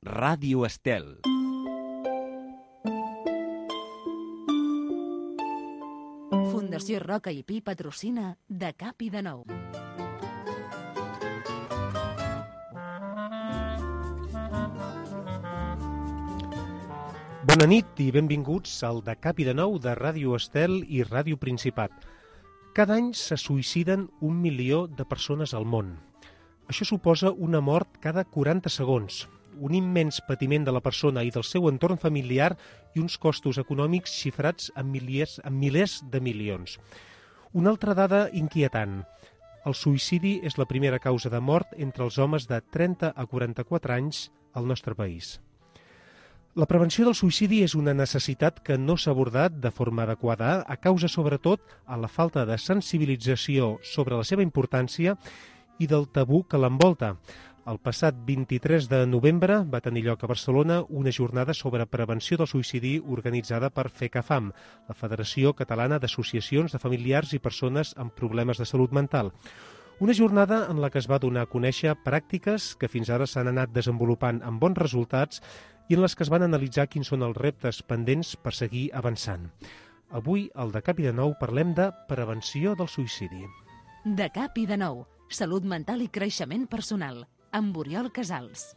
Ràdio Estel. Fundació Roca i Pi patrocina De Cap i de Nou. Bona nit i benvinguts al De Cap i de Nou de Ràdio Estel i Ràdio Principat. Cada any se suïciden 1 milió de persones al món. Això suposa una mort cada 40 segons, un immens patiment de la persona i del seu entorn familiar i uns costos econòmics xifrats en milers de milions. Una altra dada inquietant. El suïcidi és la primera causa de mort entre els homes de 30 a 44 anys al nostre país. La prevenció del suïcidi és una necessitat que no s'ha abordat de forma adequada a causa, sobretot, a la falta de sensibilització sobre la seva importància i del tabú que l'envolta. El passat 23 de novembre va tenir lloc a Barcelona una jornada sobre prevenció del suïcidi organitzada per FECAFAM, la Federació Catalana d'Associacions de Familiars i Persones amb Problemes de Salut Mental. Una jornada en la que es va donar a conèixer pràctiques que fins ara s'han anat desenvolupant amb bons resultats i en les que es van analitzar quins són els reptes pendents per seguir avançant. Avui, al De Cap i de Nou, parlem de prevenció del suïcidi. De Cap i de Nou, salut mental i creixement personal, amb Oriol Casals.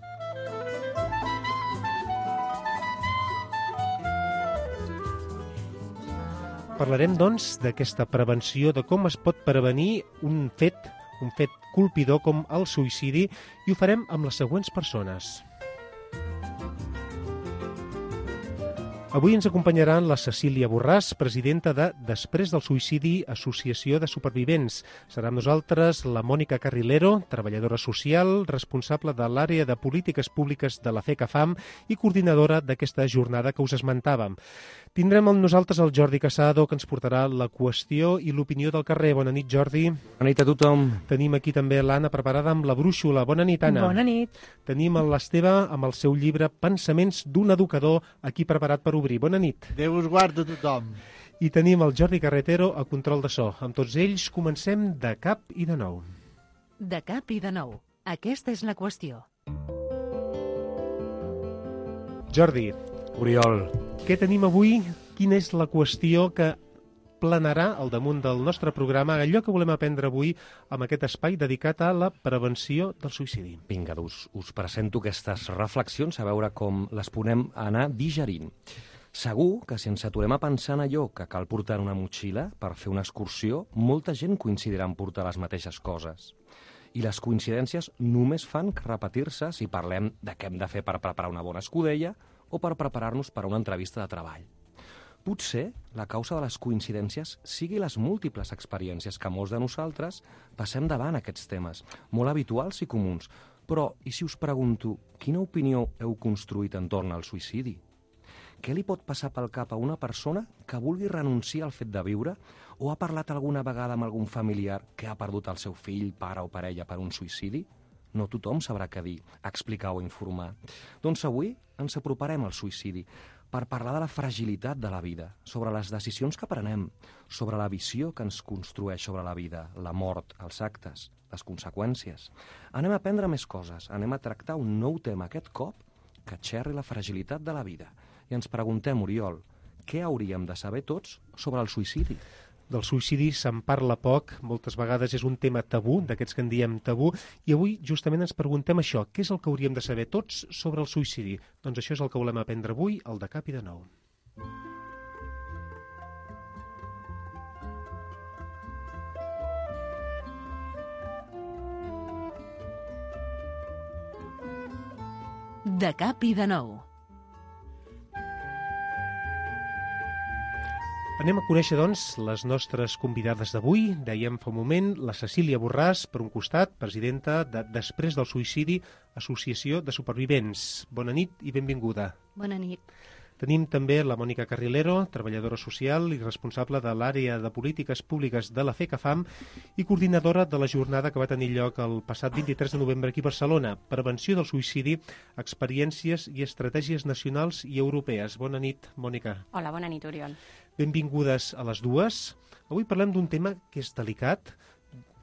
Parlarem, doncs, d'aquesta prevenció, de com es pot prevenir un fet colpidor com el suïcidi, i ho farem amb les següents persones. Avui ens acompanyaran la Cecília Borràs, presidenta de Després del Suïcidi, Associació de Supervivents. Serà amb nosaltres la Mònica Carrilero, treballadora social, responsable de l'àrea de polítiques públiques de la FECAFAM i coordinadora d'aquesta jornada que us esmentàvem. Tindrem amb nosaltres el Jordi Casado, que ens portarà la qüestió i l'opinió del carrer. Bona nit, Jordi. Bona nit a tothom. Tenim aquí també l'Anna preparada amb la brúixola. Bona nit, Anna. Bona nit. Tenim l'Esteve amb el seu llibre Pensaments d'un educador, aquí preparat per obrir. Bona nit. Déu us guarda tothom. I tenim el Jordi Carretero a control de so. Amb tots ells comencem De Cap i de Nou. De Cap i de Nou. Aquesta és la qüestió. Jordi, Oriol. què tenim avui? Quina és la qüestió que planarà al damunt del nostre programa, allò que volem aprendre avui amb aquest espai dedicat a la prevenció del suïcidi? Vinga, us presento aquestes reflexions a veure com les podem anar digerint. Segur que si ens aturem a pensar en allò que cal portar en una motxilla per fer una excursió, molta gent coincidirà en portar les mateixes coses. I les coincidències només fan repetir-se si parlem de què hem de fer per preparar una bona escudella o per preparar-nos per a una entrevista de treball. Potser la causa de les coincidències sigui les múltiples experiències que molts de nosaltres passem davant aquests temes, molt habituals i comuns. Però, i si us pregunto, quina opinió heu construït entorn al suïcidi? Què li pot passar pel cap a una persona que vulgui renunciar al fet de viure o ha parlat alguna vegada amb algun familiar que ha perdut el seu fill, pare o parella per un suïcidi? No tothom sabrà què dir, explicar o informar. Doncs avui ens aproparem al suïcidi per parlar de la fragilitat de la vida, sobre les decisions que prenem, sobre la visió que ens construeix sobre la vida, la mort, els actes, les conseqüències. Anem a aprendre més coses, anem a tractar un nou tema aquest cop que xerri la fragilitat de la vida. I ens preguntem, Oriol, què hauríem de saber tots sobre el suïcidi? Del suïcidi se'n parla poc, moltes vegades és un tema tabú, d'aquests que en diem tabú, i avui justament ens preguntem això, què és el que hauríem de saber tots sobre el suïcidi? Doncs això és el que volem aprendre avui al De Cap i de Nou. De Cap i de Nou. Anem a conèixer, doncs, les nostres convidades d'avui. Dèiem fa un moment la Cecília Borràs, per un costat, presidenta de Després del Suïcidi, Associació de Supervivents. Bona nit i benvinguda. Bona nit. Tenim també la Mònica Carrilero, treballadora social i responsable de l'àrea de polítiques públiques de la FECAFAM i coordinadora de la jornada que va tenir lloc el passat 23 de novembre aquí a Barcelona. Prevenció del suïcidi, experiències i estratègies nacionals i europees. Bona nit, Mònica. Hola, bona nit, Oriol. Benvingudes a les dues. Avui parlem d'un tema que és delicat,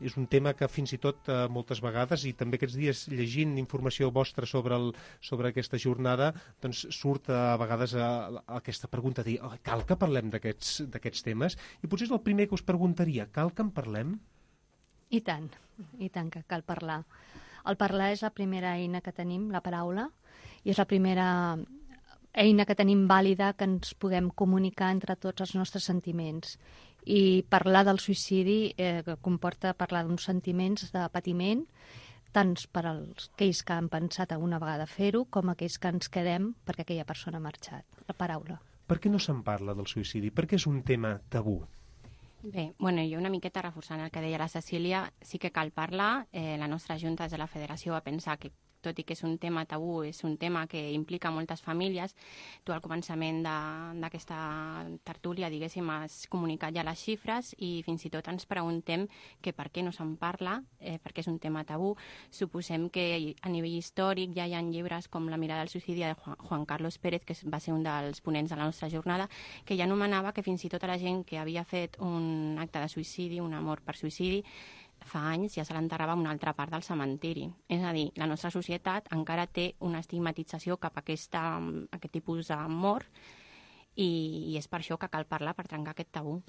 És un tema que fins i tot moltes vegades, i també aquests dies llegint informació vostra sobre aquesta jornada, doncs surt a vegades aquesta pregunta de dir, cal que parlem d'aquests temes? I potser és el primer que us preguntaria, cal que en parlem? I tant que cal parlar. El parlar és la primera eina que tenim, la paraula, i és la primera eina que tenim vàlida que ens puguem comunicar entre tots els nostres sentiments. I parlar del suïcidi comporta parlar d'uns sentiments de patiment, tant per aquells que han pensat alguna vegada fer-ho, com aquells que ens quedem perquè aquella persona ha marxat. La paraula. Per què no se'n parla del suïcidi? Per què és un tema tabú? Bé, jo una miqueta reforçant el que deia la Cecília, sí que cal parlar. La nostra Junta des de la Federació va pensar que, tot i que és un tema tabú, és un tema que implica moltes famílies. Tu al començament d'aquesta tertúlia, diguéssim, has comunicat ja les xifres i fins i tot ens preguntem que per què no se'n parla, perquè és un tema tabú. Suposem que a nivell històric ja hi ha llibres com La mirada al suïcidi de Juan Carlos Pérez, que va ser un dels ponents de la nostra jornada, que ja anomenava que fins i tot a la gent que havia fet un acte de suïcidi, una mort per suïcidi, fa anys ja se l'enterrava a una altra part del cementiri. És a dir, la nostra societat encara té una estigmatització cap a aquest tipus de mort i és per això que cal parlar, per trencar aquest tabú.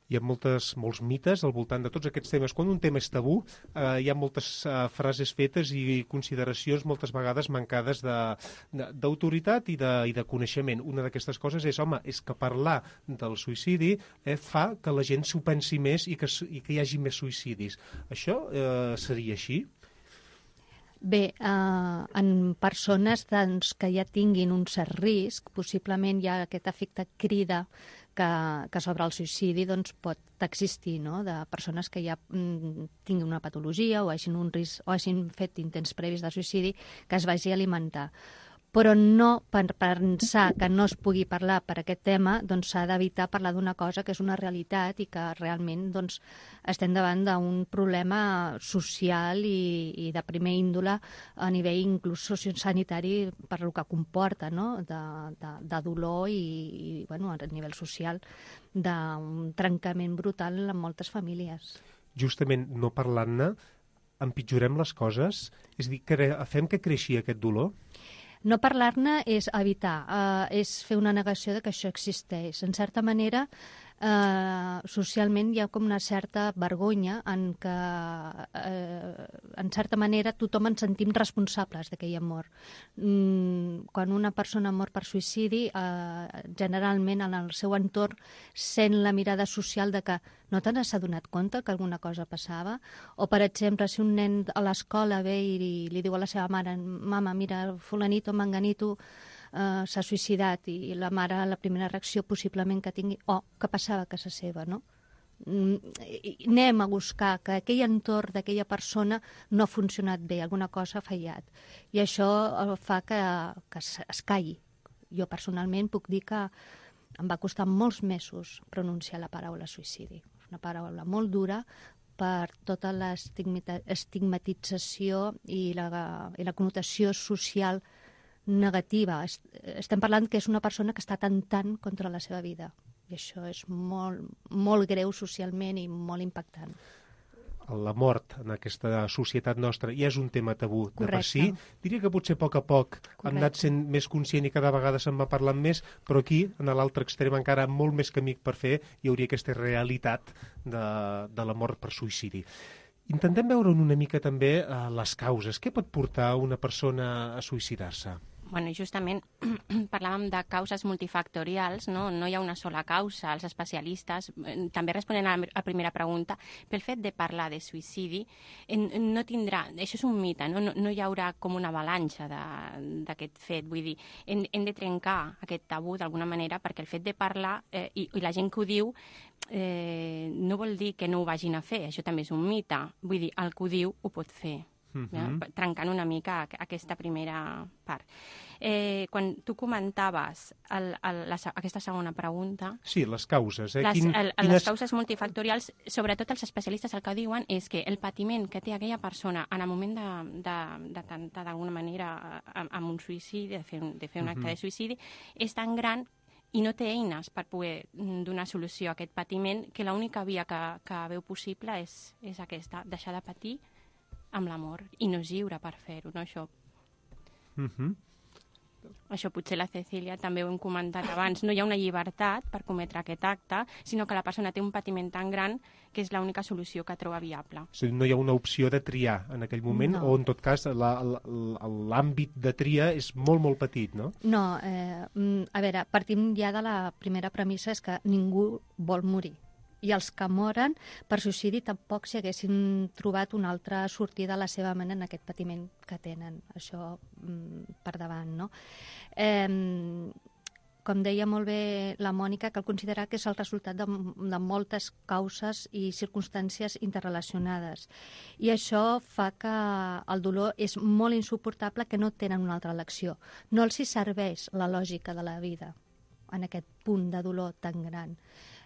Hi ha molts mites al voltant de tots aquests temes. Quan un tema és tabú, hi ha moltes frases fetes i consideracions moltes vegades mancades d'autoritat i de coneixement. Una d'aquestes coses és, és que parlar del suïcidi fa que la gent s'ho pensi més i que hi hagi més suïcidis. Això seria així? Bé, en persones que ja tinguin un cert risc, possiblement hi ha aquest efecte crida que sobre el suïcidi pot existir, no? De persones que ja tinguin una patologia o hagin un risc o hagin fet intents previs de suïcidi que es vagi a alimentar. Però no per pensar que no es pugui parlar per aquest tema, s'ha d'evitar parlar d'una cosa que és una realitat i que realment estem davant d'un problema social i de primer índole a nivell inclús sociosanitari per el que comporta, no? de dolor i a nivell social d'un trencament brutal en moltes famílies. Justament no parlant-ne, empitjorem les coses? És a dir, fem que creixi aquest dolor? No parlar-ne és evitar, és fer una negació de que això existeix. En certa manera, socialment hi ha com una certa vergonya en què, en certa manera, tothom ens sentim responsables d'aquella mort. Quan una persona mor per suïcidi, generalment en el seu entorn sent la mirada social de que no te n'has adonat compte que alguna cosa passava? O, per exemple, si un nen a l'escola ve i li diu a la seva mare: «Mama, mira, fulanito, manganito s'ha suïcidat», i la mare, la primera reacció possiblement que tingui, que passava a casa seva, no? Anem a buscar que aquell entorn d'aquella persona no ha funcionat bé, alguna cosa ha fallat. I això fa que es calli. Jo personalment puc dir que em va costar molts mesos pronunciar la paraula suïcidi. Una paraula molt dura per tota l'estigmatització i la connotació social negativa. Estem parlant que és una persona que està atemptant contra la seva vida. I això és molt, molt greu socialment i molt impactant. La mort en aquesta societat nostra ja és un tema tabú de per si. Diria que potser a poc hem anat sent més conscient i cada vegada se'n va parlant més, però aquí, en l'altre extrem, encara molt més camí per fer, hi hauria aquesta realitat de la mort per suïcidi. Intentem veure una mica també les causes. Què pot portar una persona a suïcidar-se? Justament parlàvem de causes multifactorials, no hi ha una sola causa. Els especialistes, també responent a la primera pregunta, pel fet de parlar de suïcidi, no tindrà, això és un mite, no hi haurà com una avalanxa d'aquest fet. Vull dir, hem de trencar aquest tabú d'alguna manera, perquè el fet de parlar, i la gent que ho diu, no vol dir que no ho vagin a fer, això també és un mite. Vull dir, el que ho diu ho pot fer. Trencant una mica aquesta primera part. Quan tu comentaves aquesta segona pregunta... Sí, les causes. Les causes multifactorials, sobretot els especialistes el que diuen és que el patiment que té aquella persona en el moment d'atemptar d'alguna manera amb un suïcidi, de fer un acte de suïcidi, és tan gran i no té eines per poder donar solució a aquest patiment, que l'única via que veu possible és aquesta, deixar de patir amb l'amor, i no és lliure per fer-ho, no? Això potser la Cecília també ho hem comentat abans, no hi ha una llibertat per cometre aquest acte, sinó que la persona té un patiment tan gran que és l'única solució que troba viable. O sigui, no hi ha una opció de triar en aquell moment, o en tot cas l'àmbit de tria és molt, molt petit, no? No, a veure, partim ja de la primera premissa, és que ningú vol morir. I els que moren per suïcidi tampoc si haguessin trobat una altra sortida a la seva ment en aquest patiment que tenen. Això per davant, no? Com deia molt bé la Mònica, cal considerar que és el resultat de moltes causes i circumstàncies interrelacionades. I això fa que el dolor és molt insuportable, que no tenen una altra elecció. No els hi serveix la lògica de la vida en aquest punt de dolor tan gran.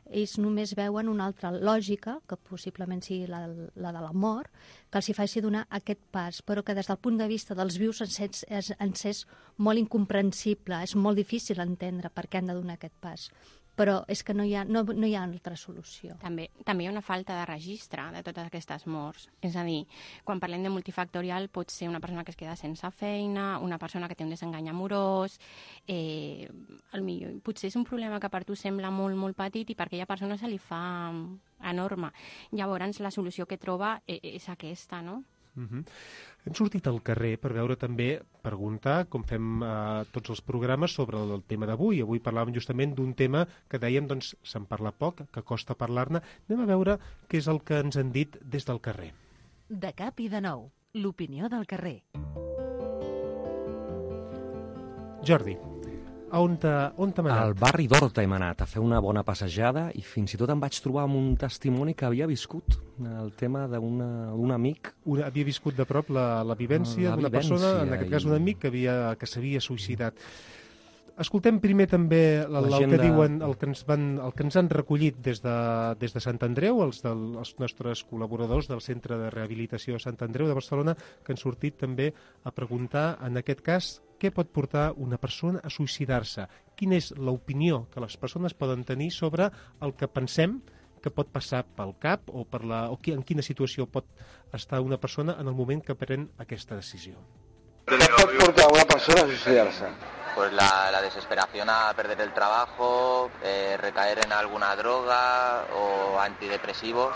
Ells només veuen una altra lògica, que possiblement sigui la de la mort, que els hi faci donar aquest pas, però que des del punt de vista dels vius ens és molt incomprensible, és molt difícil entendre per què han de donar aquest pas. Però és que no hi ha altra solució. També hi ha una falta de registre de totes aquestes morts. És a dir, quan parlem de multifactorial pot ser una persona que es queda sense feina, una persona que té un desengany amorós, potser és un problema que per tu sembla molt, molt petit i per aquella persona se li fa enorme. Llavors la solució que troba és aquesta, no? Hem sortit al carrer per veure també, preguntar, com fem tots els programes, sobre el tema d'avui. Avui parlàvem justament d'un tema que dèiem, doncs, se'n parla poc, que costa parlar-ne. Anem a veure què és el que ens han dit des del carrer. De cap i de nou, l'opinió del carrer. Jordi, on t'hem anat? Al barri d'Horta hem anat a fer una bona passejada i fins i tot em vaig trobar amb un testimoni que havia viscut el tema d'un amic. Havia viscut de prop la vivència d'una persona, en aquest cas un amic que s'havia suïcidat. Escoltem primer també el que diuen, el que ens han recollit des de Sant Andreu, els nostres col·laboradors del Centre de Rehabilitació de Sant Andreu de Barcelona, que han sortit també a preguntar, en aquest cas, què pot portar una persona a suïcidar-se? Quina és l'opinió que les persones poden tenir sobre el que pensem que pot passar pel cap o en quina situació pot estar una persona en el moment que pren aquesta decisió? ¿Qué pot portar a una persona a suicidarse? Pues la desesperación a perder el trabajo, recaer en alguna droga o antidepresivos,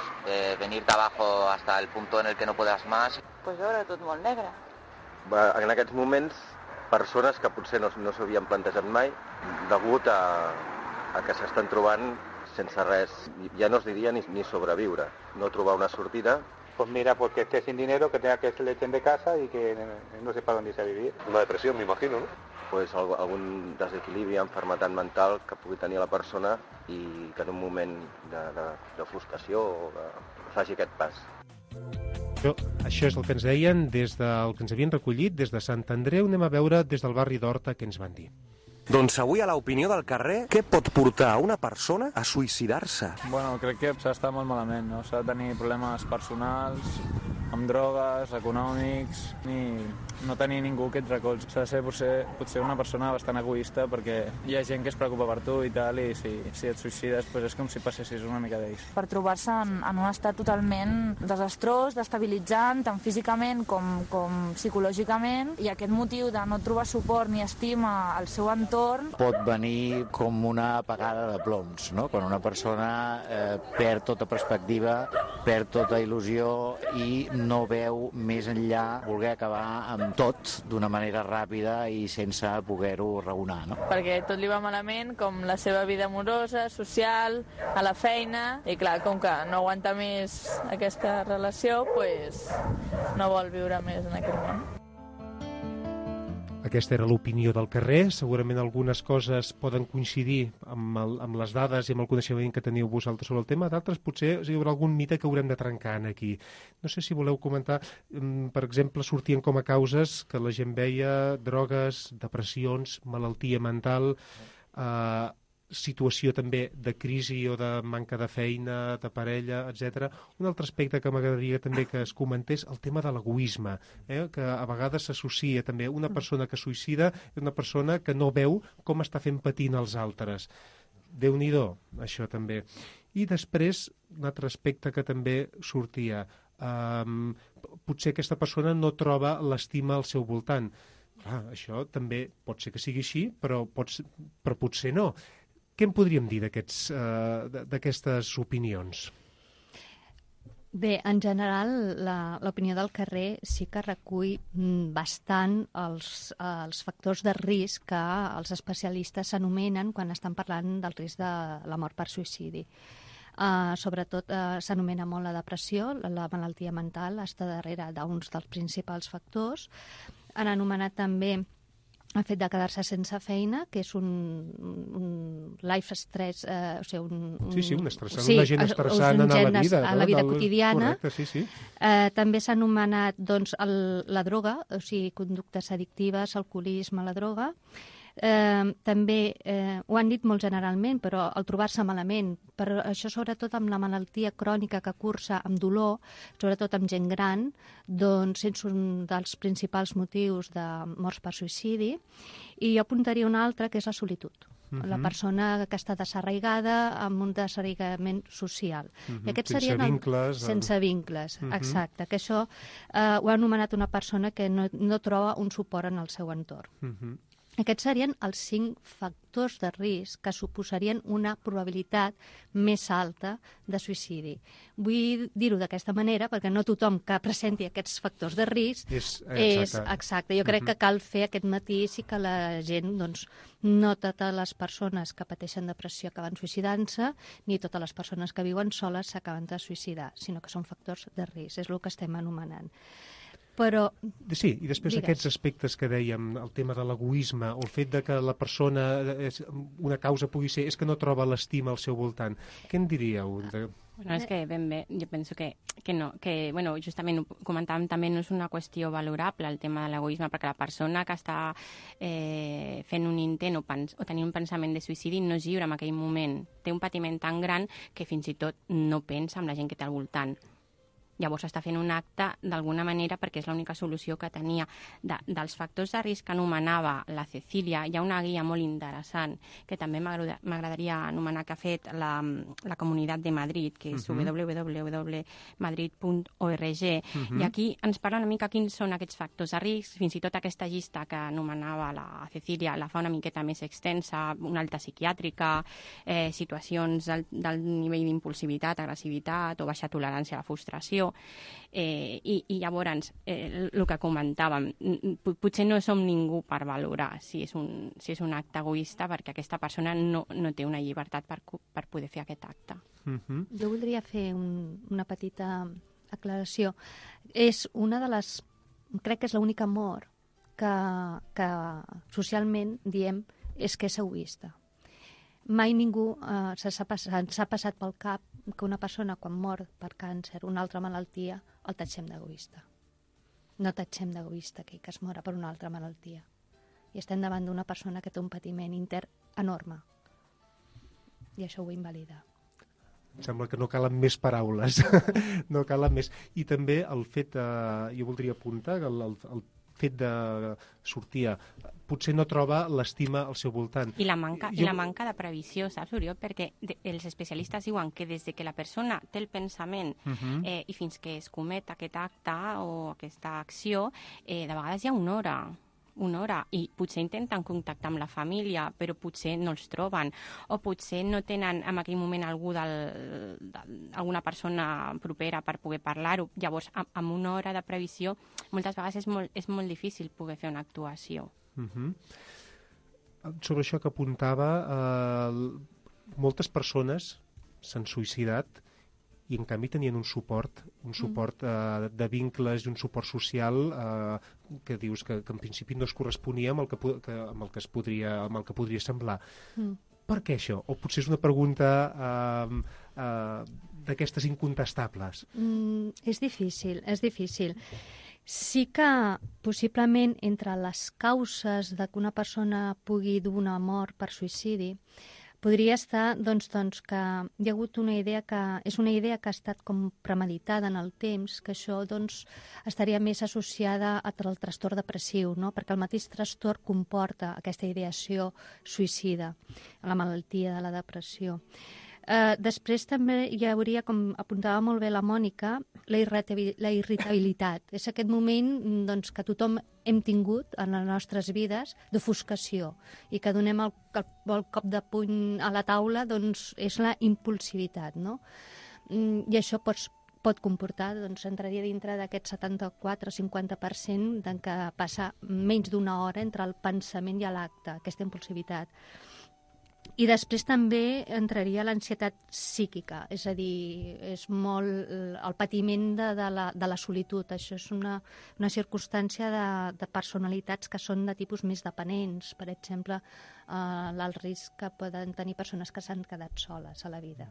venir-te abajo hasta el punto en el que no puedas más. Pues veure tot molt negre. En aquests moments, persones que potser no s'havien plantejat mai, degut a que s'estan trobant sense res, ja no es diria ni sobreviure, no trobar una sortida. Pues mira, porque esté sin dinero, que tenga que se le echen de casa y que no sepa dónde irse a vivir. Una depressió, m'imagino, no? Pues algun desequilibri, enfermetat mental que pugui tenir la persona i que en un moment de frustració faci aquest pas. Això és el que ens deien des del que ens havien recollit des de Sant Andreu. Anem a veure des del barri d'Horta què ens van dir. Doncs avui a l'opinió del carrer, què pot portar a una persona a suïcidar-se? Bueno, crec que s'està molt malament, no? S'ha de tenir problemes personals, amb drogues, econòmics, ni no tenir ningú que et recolzi. S'ha de ser potser una persona bastant egoista perquè hi ha gent que es preocupa per tu i tal, i si et suïcides pues és com si passessis una mica d'ells. Per trobar-se en un estat totalment desastrós, destabilitzant, tant físicament com psicològicament, i aquest motiu de no trobar suport ni estima al seu entorn pot venir com una apagada de ploms, no? Quan una persona perd tota perspectiva, perd tota il·lusió i no veu més enllà, voler acabar amb tot d'una manera ràpida i sense poder-ho raonar, no? Perquè tot li va malament, com la seva vida amorosa, social, a la feina, i clar, com que no aguanta més aquesta relació, pues no vol viure més en aquest món. Aquesta era l'opinió del carrer. Segurament algunes coses poden coincidir amb les dades i amb el coneixement que teniu vosaltres sobre el tema. D'altres potser hi haurà algun mite que haurem de trencar aquí. No sé si voleu comentar, per exemple, sortien com a causes que la gent veia drogues, depressions, malaltia mental. situació també de crisi o de manca de feina, de parella, etc. Un altre aspecte que m'agradaria també que es comentés, el tema de l'egoisme, que a vegades s'associa també una persona que suïcida és una persona que no veu com està fent patint els altres. Déu-n'hi-do, això també. I després, un altre aspecte que també sortia, potser aquesta persona no troba l'estima al seu voltant. Clar, això també pot ser que sigui així, però potser no. Què en podríem dir d'aquestes opinions? Bé, en general, l'opinió del carrer sí que recull bastant els factors de risc que els especialistes s'anomenen quan estan parlant del risc de la mort per suïcidi. Sobretot s'anomena molt la depressió, la malaltia mental està darrere d'uns dels principals factors. Han anomenat també el fet de quedar-se sense feina, que és un life stress, o sigui, un agent estressant a la vida quotidiana. Correcte, sí. També s'ha anomenat la droga, o sigui, conductes addictives, alcoholisme, la droga. També ho han dit molt generalment, però el trobar-se malament, per això sobretot amb la malaltia crònica que cursa amb dolor, sobretot amb gent gran, doncs és un dels principals motius de morts per suïcidi. I jo apuntaria un altre, que és la solitud. La persona que està desarraigada amb un desarraigament social. I aquests sense vincles. Sense vincles, exacte. Que això ho ha anomenat una persona que no troba un suport en el seu entorn. Aquests serien els 5 factors de risc que suposarien una probabilitat més alta de suïcidi. Vull dir-ho d'aquesta manera perquè no tothom que presenti aquests factors de risc és exacte. Jo crec que cal fer aquest matís i que la gent, doncs, no totes les persones que pateixen depressió acaben suïcidant-se, ni totes les persones que viuen soles s'acaben de suïcidar, sinó que són factors de risc, és el que estem anomenant. Però... Sí, i després aquests aspectes que dèiem, el tema de l'egoisme, o el fet de que la persona, una causa pugui ser, és que no troba l'estima al seu voltant. Què en diríeu? Bueno, és que ben bé, jo penso que no, que bueno, justament ho comentàvem també, no és una qüestió valorable el tema de l'egoisme, perquè la persona que està fent un intent o tenir un pensament de suïcidi no és lliure en aquell moment, té un patiment tan gran que fins i tot no pensa en la gent que té al voltant. Llavors està fent un acte d'alguna manera perquè és l'única solució que tenia. Dels factors de risc que anomenava la Cecília, hi ha una guia molt interessant que també m'agradaria anomenar, que ha fet la Comunitat de Madrid, que és www.madrid.org, i aquí ens parla una mica quins són aquests factors de risc. Fins i tot aquesta llista que anomenava la Cecília la fa una miqueta més extensa, una alta psiquiàtrica, situacions del nivell d'impulsivitat, agressivitat o baixa tolerància a la frustració. I llavors, el que comentàvem, potser no som ningú per valorar si és un acte egoista, perquè aquesta persona no té una llibertat per poder fer aquest acte. Jo voldria fer una petita aclaració. És una de les... Crec que és l'única mort que socialment diem és que és egoista. Mai ningú s'ha passat pel cap que una persona quan mor per càncer, una altra malaltia, el tatxem d'egoista. No tatxem d'egoista aquell que es mora per una altra malaltia. I estem davant d'una persona que té un patiment intern enorme. I això ho invalida. Em sembla que no calen més paraules. No calen més. I també el fet, jo voldria apuntar, el fet de sortir, potser no troba l'estima al seu voltant. I la manca de previsió, saps, Oriol? Perquè els especialistes diuen que des que la persona té el pensament i fins que es comet aquest acte o aquesta acció, de vegades hi ha una hora, i potser intenten contactar amb la família, però potser no els troben, o potser no tenen en aquell moment alguna persona propera per poder parlar-ho. Llavors, amb una hora de previsió, moltes vegades és molt difícil poder fer una actuació. Sobre això que apuntava, moltes persones s'han suïcidat i en canvi tenien un suport de vincles i un suport social que dius que en principi no es corresponia amb el que podria semblar. Per què això? O potser és una pregunta d'aquestes incontestables? És difícil. Sí que possiblement entre les causes de que una persona pugui dur una mort per suïcidi Podria estar doncs, que hi ha hagut una idea que és una idea que ha estat com premeditada en el temps, que això doncs, estaria més associada al trastorn depressiu, no? Perquè el mateix trastorn comporta aquesta ideació suïcida, la malaltia de la depressió. Després també hi hauria, com apuntava molt bé la Mònica, la irritabilitat. És aquest moment doncs, que tothom hem tingut en les nostres vides d'ofuscació i que donem el cop de puny a la taula doncs, és la impulsivitat. No? I això pot comportar, doncs entraria dintre d'aquest 74-50% en què passa menys d'una hora entre el pensament i l'acte, aquesta impulsivitat. I després també entraria l'ansietat psíquica, és a dir, és molt el patiment de la solitud. Això és una circumstància de personalitats que són de tipus més dependents, per exemple, l'alt risc que poden tenir persones que s'han quedat soles a la vida.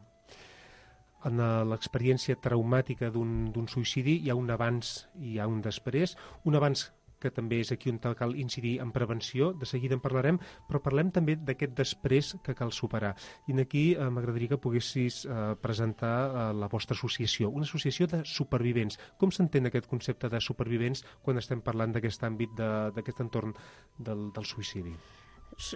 En l'experiència traumàtica d'un suïcidi hi ha un abans i hi ha un després. Un abans que també és aquí on cal incidir en prevenció, de seguida en parlarem, però parlem també d'aquest després que cal superar. I aquí m'agradaria que poguessis presentar la vostra associació, una associació de supervivents. Com s'entén aquest concepte de supervivents quan estem parlant d'aquest àmbit, d'aquest entorn del suïcidi?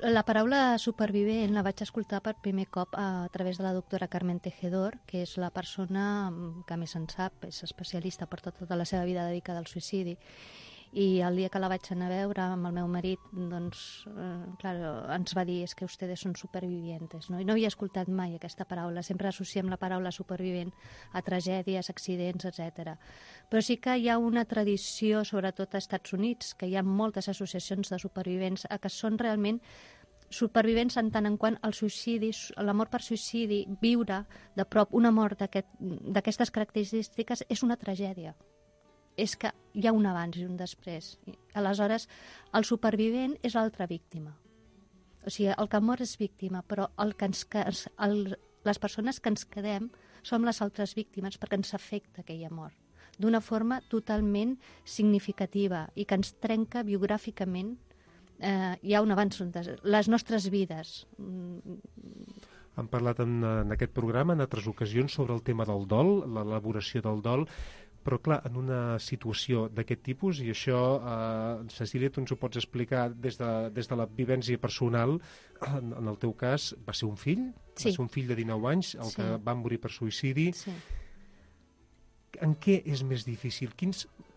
La paraula supervivent la vaig escoltar per primer cop a través de la doctora Carmen Tejedor, que és la persona que més en sap, és especialista per tota la seva vida dedicada al suïcidi. I el dia que la vaig anar a veure amb el meu marit, doncs, ens va dir que ustedes són supervivientes. No? I no havia escoltat mai aquesta paraula, sempre associem la paraula supervivent a tragèdies, accidents, etc. Però sí que hi ha una tradició, sobretot als Estats Units, que hi ha moltes associacions de supervivents que són realment supervivents en tant en quant el suïcidi, la mort per suïcidi, viure de prop una mort d'aquestes característiques és una tragèdia. És que hi ha un abans i un després. Aleshores, el supervivent és l'altra víctima. O sigui, el que mor és víctima, però les persones que ens quedem som les altres víctimes perquè ens afecta aquella mort d'una forma totalment significativa i que ens trenca biogràficament. Hi ha un abans, les nostres vides. Hem parlat en aquest programa en altres ocasions sobre el tema del dol, l'elaboració del dol, però clar, en una situació d'aquest tipus, i això, Cecília, tu ens ho pots explicar des de la vivència personal, en el teu cas va ser un fill, sí. Va ser un fill de 19 anys, el que va morir per suïcidi. Sí. En què és més difícil?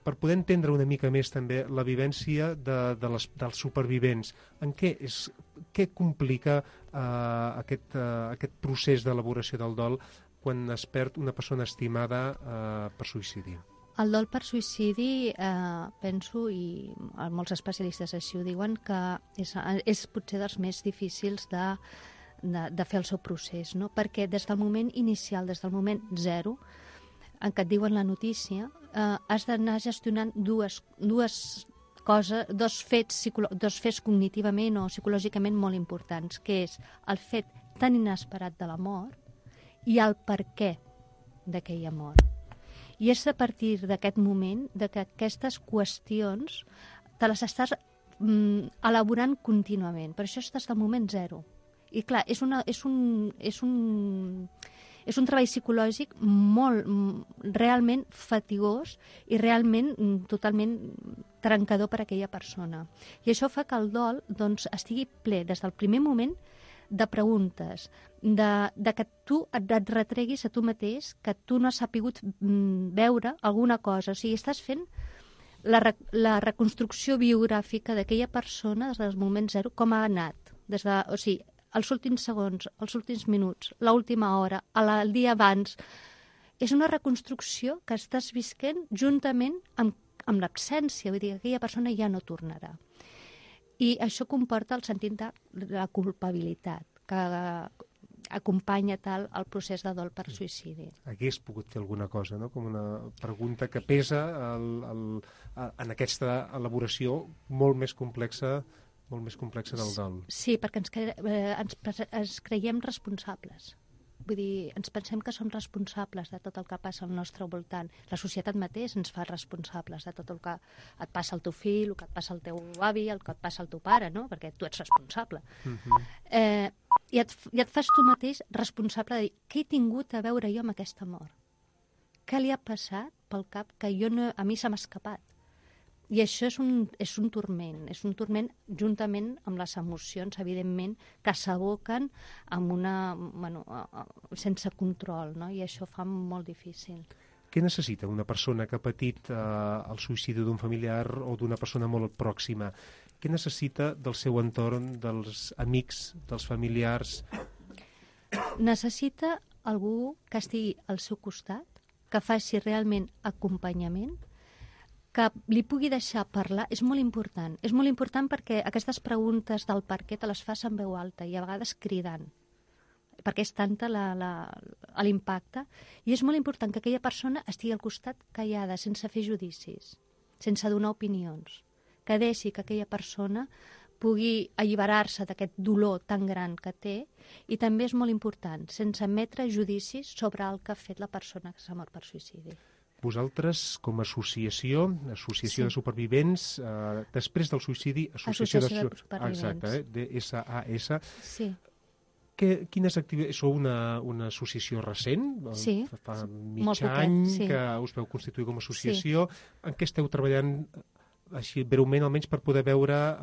Per poder entendre una mica més també la vivència dels supervivents, què complica aquest procés d'elaboració del dol quan es perd una persona estimada per suïcidi? El dol per suïcidi, penso, i molts especialistes així ho diuen, que és potser dels més difícils de fer el seu procés, no? Perquè des del moment inicial, des del moment zero, en què et diuen la notícia, has d'anar gestionant dos fets cognitivament o psicològicament molt importants, que és el fet tan inesperat de la mort i el per què d'aquella mort. I és a partir d'aquest moment que aquestes qüestions te les estàs elaborant contínuament. Per això estàs del moment zero. I clar, és un treball psicològic realment fatigós i realment totalment trencador per a aquella persona. I això fa que el dol estigui ple des del primer moment de preguntes, de que tu et retreguis a tu mateix, que tu no has sapigut veure alguna cosa. O sigui, estàs fent la reconstrucció biogràfica d'aquella persona des del moment zero, com ha anat. O sigui, els últims segons, els últims minuts, l'última hora, el dia abans. És una reconstrucció que estàs visquent juntament amb l'absència, vull dir que aquella persona ja no tornarà. I això comporta el sentit de la culpabilitat que acompanya tal el procés de dol per suïcidi. Hagués pogut fer alguna cosa, no? Com una pregunta que pesa en aquesta elaboració molt més complexa del dol. Sí, perquè ens creiem responsables. Vull dir, ens pensem que som responsables de tot el que passa al nostre voltant. La societat mateix ens fa responsables de tot el que et passa al teu fill, el que et passa al teu avi, el que et passa al teu pare, no? Perquè tu ets responsable. I et fas tu mateix responsable de dir què he tingut a veure jo amb aquesta mort? Què li ha passat pel cap que a mi se m'ha escapat? I això és un turment juntament amb les emocions, evidentment, que s'aboquen sense control, no? I això fa molt difícil. Què necessita una persona que ha patit el suïcidi d'un familiar o d'una persona molt pròxima? Què necessita del seu entorn, dels amics, dels familiars? Necessita algú que estigui al seu costat, que faci realment acompanyament, que li pugui deixar parlar. És molt important. És molt important perquè aquestes preguntes del per què te les fas en veu alta i a vegades cridant, perquè és tanta l'impacte. I és molt important que aquella persona estigui al costat callada, sense fer judicis, sense donar opinions, que deixi que aquella persona pugui alliberar-se d'aquest dolor tan gran que té, i també és molt important, sense emetre judicis sobre el que ha fet la persona que s'ha mort per suïcidi. Vosaltres, com a associació Sí. de supervivents, després del suïcidi, Associació de Supervivents. Exacte, DSAS. Sí. Quines activitats... Sou una associació recent? Sí. Fa Molt mig poquet, any sí. que us veu constituir com a associació. En què esteu treballant, així breument, almenys per poder veure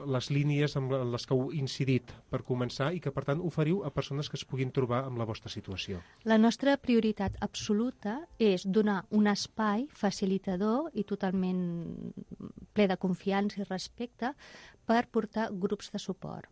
les línies amb les que heu incidit per començar i que, per tant, oferiu a persones que es puguin trobar amb la vostra situació? La nostra prioritat absoluta és donar un espai facilitador i totalment ple de confiança i respecte per portar grups de suport.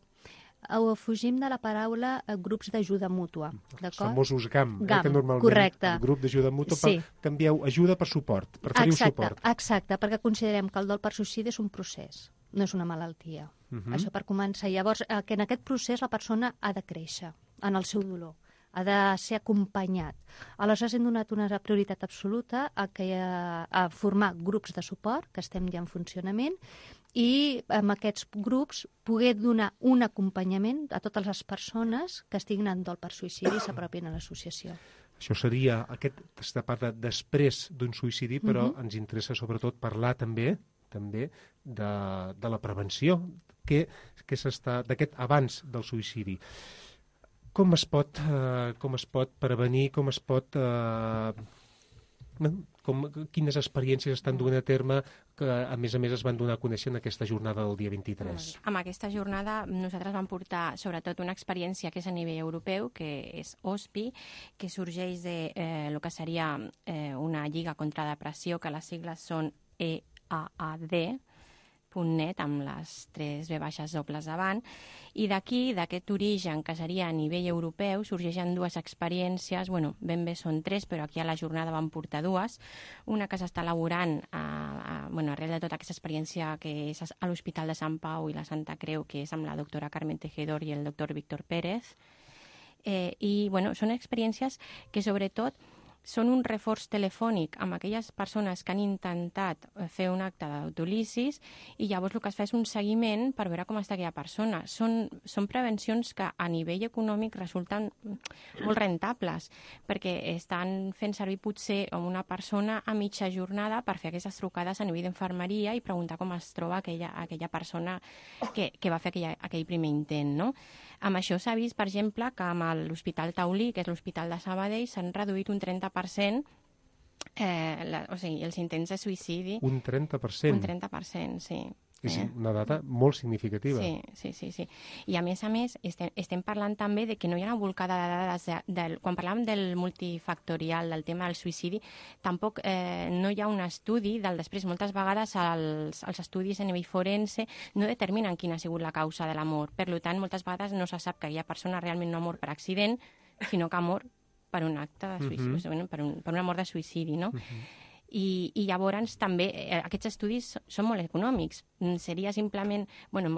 Fugim de la paraula grups d'ajuda mútua, Els d'acord? famosos GAM, GAM, que normalment correcte. el grup d'ajuda mútua, Sí. canvieu ajuda per suport, preferiu suport. Exacte, perquè considerem que el dol per suïcidi és un procés, no és una malaltia. Això per començar. Llavors, que en aquest procés la persona ha de créixer en el seu dolor, ha de ser acompanyat. Aleshores hem donat una prioritat absoluta a formar grups de suport, que estem ja en funcionament, i amb aquests grups poder donar un acompanyament a totes les persones que estiguin en dol per suïcidi i s'apropin a l'associació. Això seria, aquesta part de després d'un suïcidi, però ens interessa sobretot parlar també de la prevenció, d'aquest abans del suïcidi. Com es pot prevenir, com es pot... quines experiències estan duent a terme que, a més es van donar a conèixer en aquesta jornada del dia 23? Amb aquesta jornada nosaltres vam portar sobretot una experiència que és a nivell europeu, que és OSPI, que sorgeix de el que seria una lliga contra la depressió, que les sigles són EAAD, .net, amb les 3 V baixes dobles davant, i d'aquí, d'aquest origen que seria a nivell europeu, sorgeixen 2 experiències, ben bé són 3, però aquí a la jornada van portar 2, una que s'està elaborant arrel de tota aquesta experiència que és a l'Hospital de Sant Pau i la Santa Creu, que és amb la doctora Carmen Tejedor i el doctor Víctor Pérez, i són experiències que sobretot són un reforç telefònic amb aquelles persones que han intentat fer un acte d'autolisis i llavors el que es fa és un seguiment per veure com està aquella persona. Són prevencions que a nivell econòmic resulten molt rentables perquè estan fent servir potser una persona a mitja jornada per fer aquestes trucades a nivell d'infermeria i preguntar com es troba aquella persona que va fer aquell primer intent, no? Amb això s'ha vist, per exemple, que amb l'Hospital Taulí, que és l'Hospital de Sabadell, s'han reduït un 30% els intents de suïcidi. Un 30%? Un 30%, sí. És una data molt significativa. Sí. I a més estem parlant també de que no hi ha una volcada de dades. Quan parlàvem del multifactorial, del tema del suïcidi, tampoc no hi ha un estudi del després. Moltes vegades els estudis a nivell forense no determinen quina ha sigut la causa de la mort. Per tant, moltes vegades no se sap que aquella persona realment no ha mort per accident, sinó que ha mort per un acte de suïcidi, per una mort de suïcidi, no? I llavors també aquests estudis són molt econòmics. Seria simplement,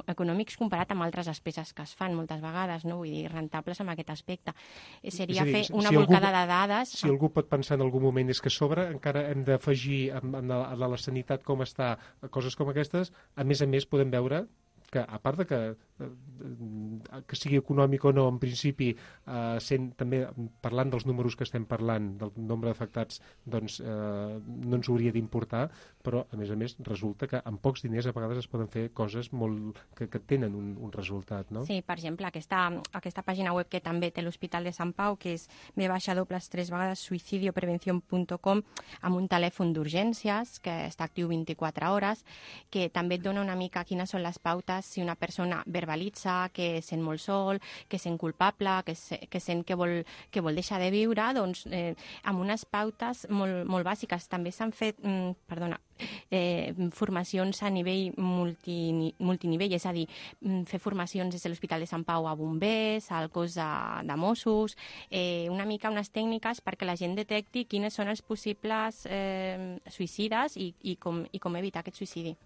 econòmics comparat amb altres despeses que es fan moltes vegades, no? Vull dir, rentables en aquest aspecte. Seria fer una volcada de dades... Si algú pot pensar en algun moment és que sobre encara hem d'afegir a la sanitat com està, coses com aquestes, a més podem veure que, a part de que sigui econòmic o no, en principi, també parlant dels números que estem parlant, del nombre d'afectats, doncs no ens hauria d'importar, però, a més, resulta que amb pocs diners a vegades es poden fer coses que tenen un resultat, no? Sí, per exemple, aquesta pàgina web que també té l'Hospital de Sant Pau, que és suicidioprevencion.com, amb un telèfon d'urgències que està actiu 24 hores, que també et dona una mica quines són les pautes si una persona verbalitza que es sent molt sol, que es sent culpable, que sent que vol deixar de viure, doncs amb unes pautes molt bàsiques. També s'han fet, formacions a nivell multinivell, és a dir, fer formacions des de l'Hospital de Sant Pau a bombers, al cos de Mossos, una mica unes tècniques perquè la gent detecti quines són els possibles suïcides i com evitar aquest suïcidi.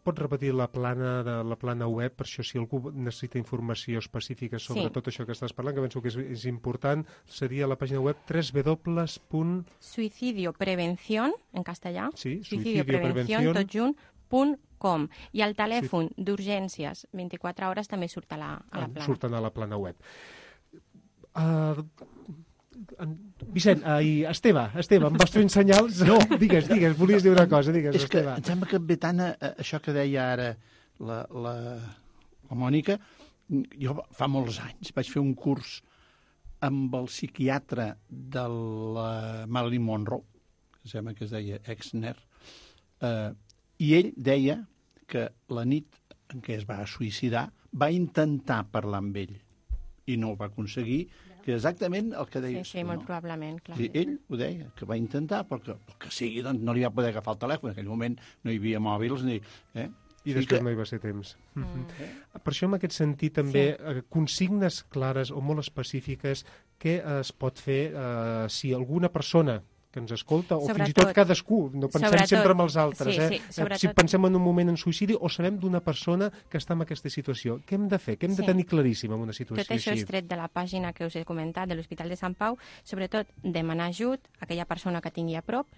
Pots repetir la plana web, per això si algú necessita informació específica sobre tot això que estàs parlant, que penso que és important, seria la pàgina web Suicidioprevencion, en castellà, suicidioprevencion.com, i el telèfon d'urgències 24 hores també surt a la plana. Surten a la plana web. Vicent, Esteve, em vas fent senyals? No, digues, volies dir una cosa, digues, és que Esteve. em sembla que ve tant això que deia ara la Mònica. Jo fa molts anys vaig fer un curs amb el psiquiatre de la Marilyn Monroe, que sembla que es deia Exner, i ell deia que la nit en què es va suïcidar va intentar parlar amb ell i no ho va aconseguir, que exactament el que deia. Sí, molt probablement, clar. Sí, ell ho deia, que va intentar, perquè el que sigui, doncs no li va poder agafar el telèfon. En aquell moment no hi havia mòbils ni... I després no hi va ser temps. Per això, en aquest sentit, també, consignes clares o molt específiques, què es pot fer si alguna persona que ens escolta, o fins i tot cadascú, no pensem sempre en els altres, si pensem en un moment en suïcidi o sabem d'una persona que està en aquesta situació. Què hem de fer? Què hem de tenir claríssim en una situació així? Tot això és tret de la pàgina que us he comentat de l'Hospital de Sant Pau, sobretot demanar ajut a aquella persona que tingui a prop,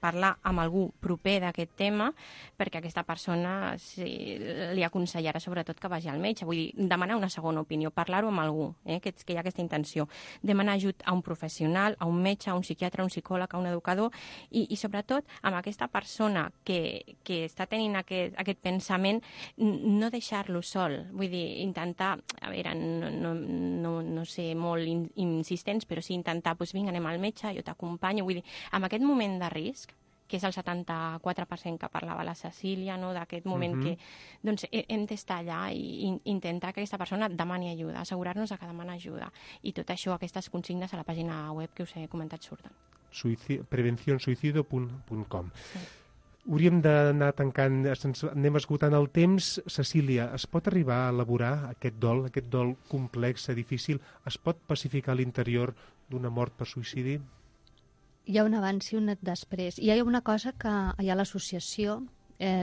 parlar amb algú proper d'aquest tema, perquè aquesta persona li aconsellarà sobretot que vagi al metge, vull dir, demanar una segona opinió, parlar-ho amb algú, que hi ha aquesta intenció, demanar ajut a un professional, a un metge, a un psiquiatre, a un psicòleg, a un educador, i sobretot amb aquesta persona que està tenint aquest pensament, no deixar-lo sol, vull dir, intentar, a veure, no ser molt insistents, però sí intentar, doncs vinga, anem al metge, jo t'acompanyo, vull dir, amb aquest moment de risc, que és el 74% que parlava la Cecília, no? D'aquest moment que doncs, hem d'estar allà i intentar que aquesta persona demani ajuda, assegurar-nos que demana ajuda. I tot això, aquestes consignes a la pàgina web que us he comentat surten. prevencionsuicidio.com. Hauríem d'anar tancant, anem esgotant el temps. Cecília, es pot arribar a elaborar aquest dol complex, difícil? Es pot pacificar l'interior d'una mort per suïcidi? Hi ha un abans i un després. Hi ha una cosa que hi ha a l'associació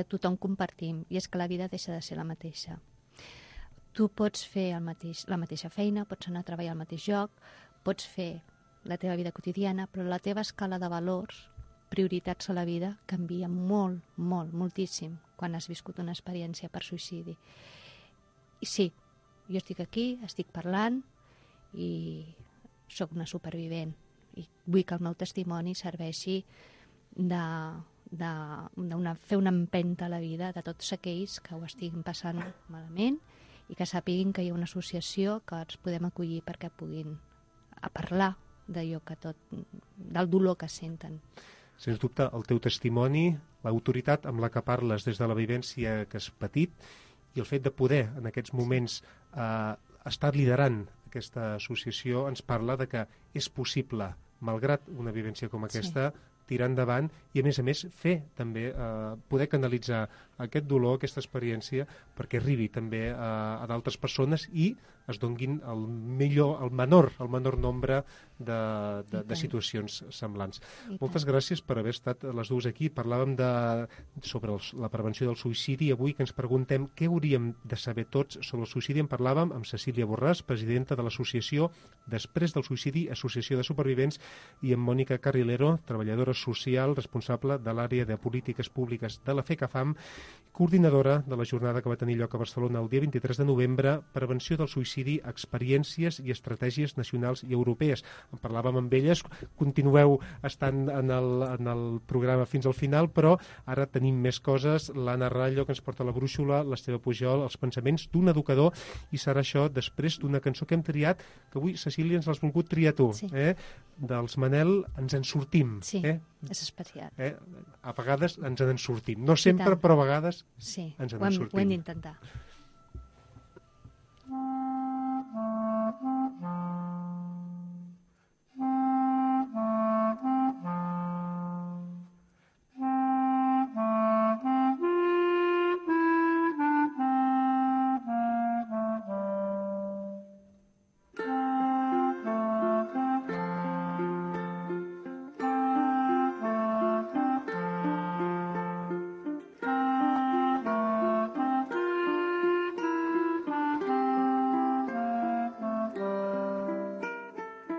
tothom compartim, i és que la vida deixa de ser la mateixa. Tu pots fer la mateixa feina, pots anar a treballar al mateix lloc, pots fer la teva vida quotidiana, però la teva escala de valors, prioritats a la vida, canvia molt, moltíssim quan has viscut una experiència per suïcidi. I sí, jo estic aquí, estic parlant i sóc una supervivent. I vull que el meu testimoni serveixi fer una empenta a la vida de tots aquells que ho estiguin passant malament i que sàpiguin que hi ha una associació que ens podem acollir perquè puguin parlar d'allò del dolor que senten. Sens dubte, el teu testimoni, l'autoritat amb la que parles des de la vivència que has patit i el fet de poder, en aquests moments, estar liderant aquesta associació ens parla de que és possible, malgrat una vivència com aquesta, tirar endavant i, a més, fer també, poder canalitzar aquest dolor, aquesta experiència, perquè arribi també a d'altres persones i es donguin el menor nombre de situacions semblants. Moltes gràcies per haver estat les dues aquí. Parlàvem sobre la prevenció del suïcidi. Avui que ens preguntem què hauríem de saber tots sobre el suïcidi, en parlàvem amb Cecília Borràs, presidenta de l'associació Després del Suïcidi, Associació de Supervivents, i amb Mònica Carrilero, treballadora social, responsable de l'àrea de polítiques públiques de la FECAFAM, coordinadora de la jornada que va tenir lloc a Barcelona el dia 23 de novembre, Prevenció del suïcidi, experiències i estratègies nacionals i europees. En parlàvem amb elles, continueu estant en el programa fins al final, però ara tenim més coses. L'Anna Rallo, que ens porta la brúixola, l'Esteve Pujol, els pensaments d'un educador, i serà això després d'una cançó que hem triat, que avui, Cecília, ens l'has volgut triar tu. Sí. Dels Manel, Ens en sortim. Sí, és especial. A vegades ens en sortim. No sempre, però a vegades sí, ens en sortim. Ho hem d'intentar.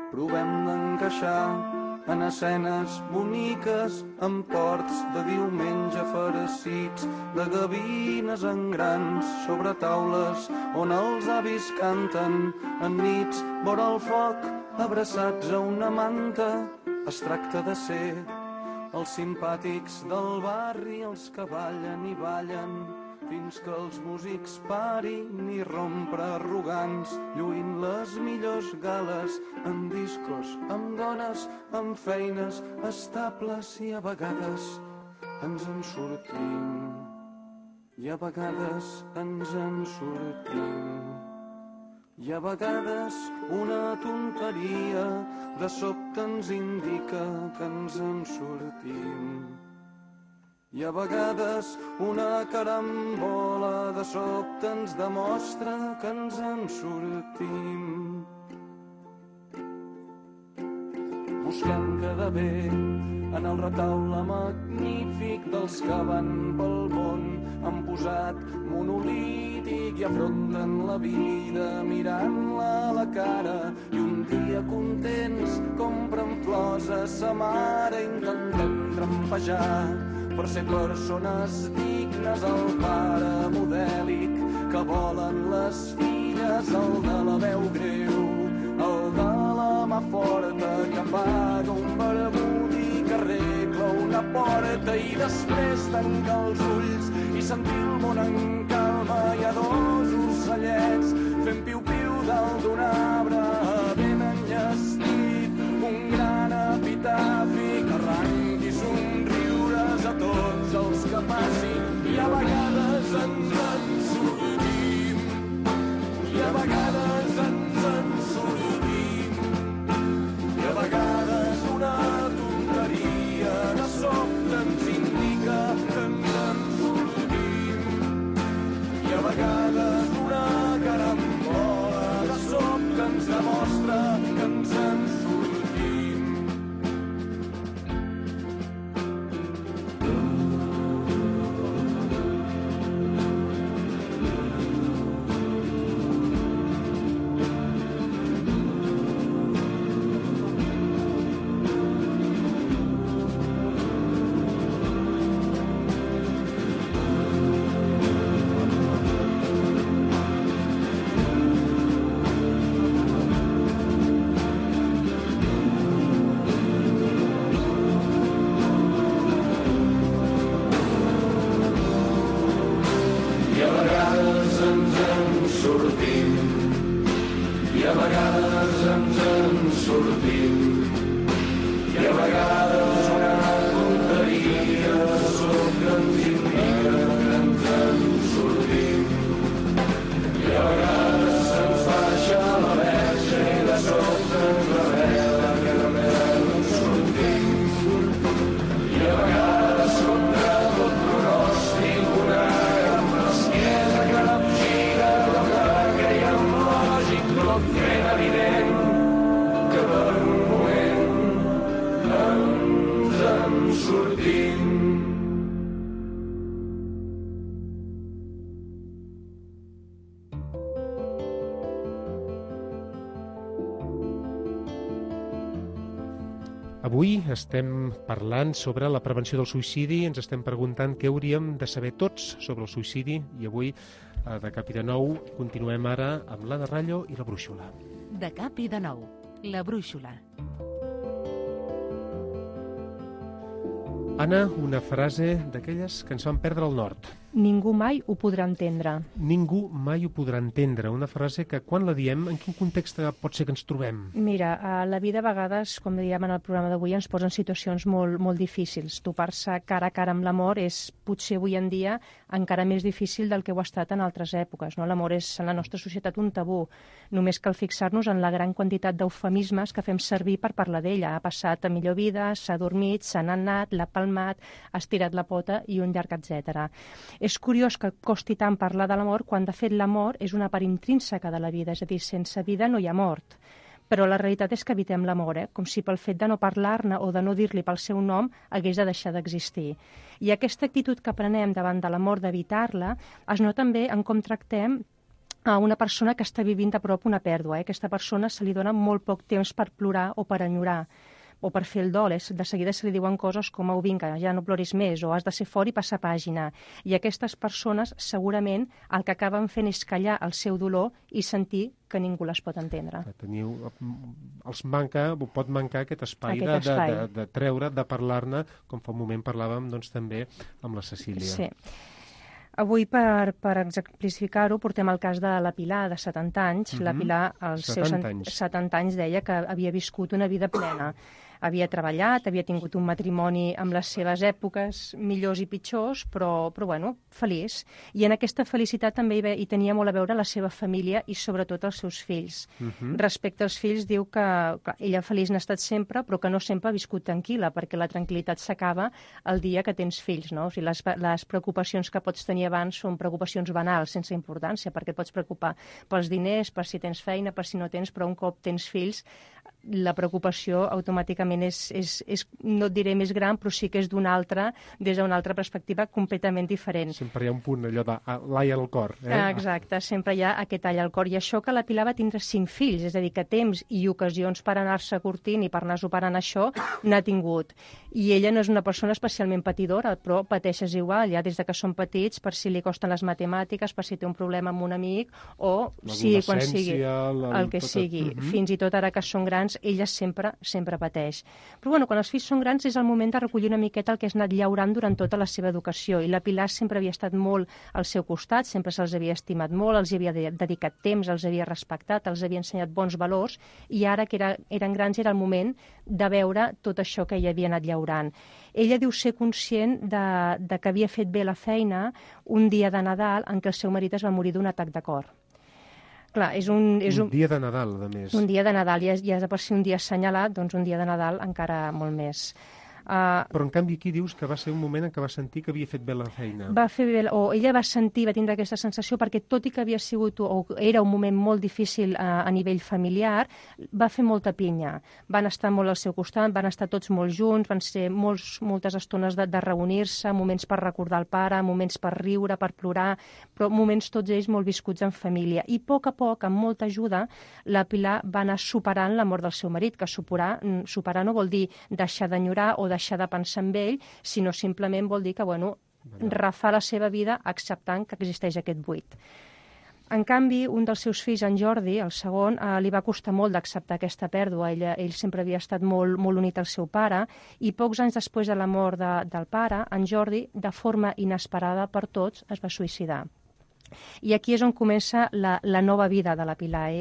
Provem d'encaixar en escenes boniques, en ports de diumenge farcits, de gavines en grans sobre taules on els avis canten en nits vora el foc, abraçats a una manta. Es tracta de ser els simpàtics del barri, els que ballen i ballen fins que els músics parin i rompre arrogants, lluint les millors gales en discos, amb dones, amb feines estables, i a vegades ens en sortim, i a vegades ens en sortim, i a vegades una tonteria de sobte ens indica que ens en sortim. I a vegades una carambola de sobte ens demostra que ens en sortim. Busquem quedar bé en el retaule magnífic dels que van pel món, han posat monolític i afronten la vida mirant-la a la cara, i un dia contents compren flors a sa mare, intentem trampejar per ser persones dignes, el pare modèlic que volen les filles, el de la veu greu, el de la mà forta que paga un barbut i que arregla una porta, i després tancar els ulls i sentir el món en calma. Hi ha dos ocellets fent piu-piu dalt d'un arbre ben enllestit, un gran epitafi que arranqui somriures a tots els que passin, i a vegades ens en sortim, i a vegades ens en sortim, i a vegades una tonteria de sobte ens indica que ens en sortim, i a vegades una carambola de sobte ens demostra que ens en sortim. Avui estem parlant sobre la prevenció del suïcidi, ens estem preguntant què hauríem de saber tots sobre el suïcidi i avui, de cap i de nou, continuem ara amb l'Anna Rallo i la brúixola. De cap i de nou, la brúixola. Anna, una frase d'aquelles que ens van perdre el nord. Ningú mai ho podrà entendre. Ningú mai ho podrà entendre. Una frase que, quan la diem, en quin context pot ser que ens trobem? Mira, a la vida a vegades, com dèiem en el programa d'avui, ens posen situacions molt difícils. Topar-se cara a cara amb l'amor és, potser avui en dia, encara més difícil del que ho ha estat en altres èpoques. No? L'amor és, en la nostra societat, un tabú. Només cal fixar-nos en la gran quantitat d'eufemismes que fem servir per parlar d'ella. Ha passat a millor vida, s'ha dormit, s'ha anat, l'ha palmat, ha estirat la pota i un llarg etcètera. És curiós que costi tant parlar de l'amor quan, de fet, l'amor és una part intrínseca de la vida, és a dir, sense vida no hi ha mort. Però la realitat és que evitem l'amor, com si pel fet de no parlar-ne o de no dir-li pel seu nom hagués de deixar d'existir. I aquesta actitud que prenem davant de l'amor d'evitar-la es nota també en com tractem a una persona que està vivint de prop una pèrdua. Aquesta persona se li dona molt poc temps per plorar o per enyorar, o per fer el dol. De seguida se li diuen coses com vinga, ja no ploris més, o has de ser fort i passar pàgina. I aquestes persones segurament el que acaben fent és callar el seu dolor i sentir que ningú les pot entendre. Pot mancar aquest espai de treure, de parlar-ne, com fa un moment parlàvem també amb la Cecília. Sí. Avui, per exemplificar-ho, portem el cas de la Pilar, de 70 anys. La Pilar, als seus 70 anys, deia que havia viscut una vida plena. Havia treballat, havia tingut un matrimoni amb les seves èpoques millors i pitjors, però bueno, feliç. I en aquesta felicitat també hi tenia molt a veure la seva família i sobretot els seus fills. Respecte als fills, diu que ella feliç n'ha estat sempre, però que no sempre ha viscut tranquil·la, perquè la tranquil·litat s'acaba el dia que tens fills, no? O sigui, les preocupacions que pots tenir abans són preocupacions banals, sense importància, perquè et pots preocupar pels diners, per si tens feina, per si no tens, però un cop tens fills, la preocupació automàticament és, no et diré més gran, però sí que és des d'una altra perspectiva completament diferent. Sempre hi ha un punt allò de l'ai al cor. Exacte, sempre hi ha aquest all al cor. I això que la Pilar va tindre 5 fills, és a dir, que temps i ocasions per anar-se curtint i per anar superant això n'ha tingut. I ella no és una persona especialment patidora, però pateixes igual, ja des de que són petits, per si li costen les matemàtiques, per si té un problema amb un amic, o si quan sigui el que sigui. Fins i tot ara que són grans, ella sempre pateix. Però bueno, quan els fills són grans és el moment de recollir una miqueta el que has anat llaurant durant tota la seva educació, i la Pilar sempre havia estat molt al seu costat, sempre se'ls havia estimat molt, els havia dedicat temps, els havia respectat, els havia ensenyat bons valors, i ara que eren grans era el moment de veure tot això que ella havia anat llaurant. Ella diu ser conscient de que havia fet bé la feina un dia de Nadal en què el seu marit es va morir d'un atac de cor. Clar, és un dia de Nadal, a més. Un dia de Nadal, ja de per si un dia assenyalat, doncs un dia de Nadal encara molt més. Però en canvi aquí dius que va ser un moment en què va sentir que havia fet bé la feina. Va fer bé, o ella va tindre aquesta sensació perquè tot i que havia sigut, o era un moment molt difícil a nivell familiar, va fer molta pinya. Van estar molt al seu costat, van estar tots molt junts, van ser moltes estones de reunir-se, moments per recordar el pare, moments per riure, per plorar, però moments tots ells molt viscuts en família. I a poc, amb molta ajuda, la Pilar va anar superant la mort del seu marit, que superar no vol dir deixar d'enyorar o deixar de pensar en ell, sinó simplement vol dir que, refar la seva vida acceptant que existeix aquest buit. En canvi, un dels seus fills, en Jordi, el segon, li va costar molt d'acceptar aquesta pèrdua. Ell sempre havia estat molt unit al seu pare, i pocs anys després de la mort del pare, en Jordi, de forma inesperada per tots, es va suïcidar. I aquí és on comença la nova vida de la Pilar.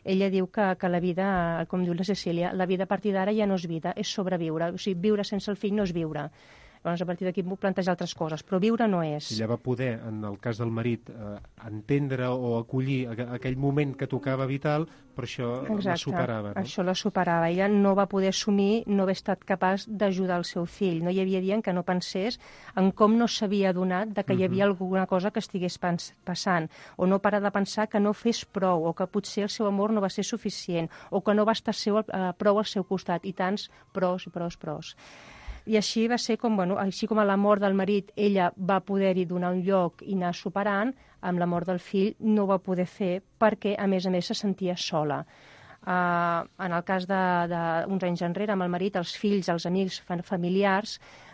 Ella diu que la vida, com diu la Cecília, la vida a partir d'ara ja no és vida, és sobreviure. O sigui, viure sense el fill no és viure. Llavors, a partir d'aquí puc plantejar altres coses, però viure no és. Ella va poder, en el cas del marit, entendre o acollir aquell moment que tocava vital, però això la superava. No? Això la superava. Ella no va poder assumir no haver estat capaç d'ajudar el seu fill. No hi havia dia en què no pensés en com no s'havia adonat de que hi havia alguna cosa que estigués passant, o no parar de pensar que no fes prou, o que potser el seu amor no va ser suficient, o que no va estar prou al seu costat, i tants pros. I així va ser així com a la mort del marit ella va poder-hi donar un lloc i anar superant, amb la mort del fill no ho va poder fer perquè, a més se sentia sola. En el cas d'uns anys enrere, amb el marit, els fills, els amics familiars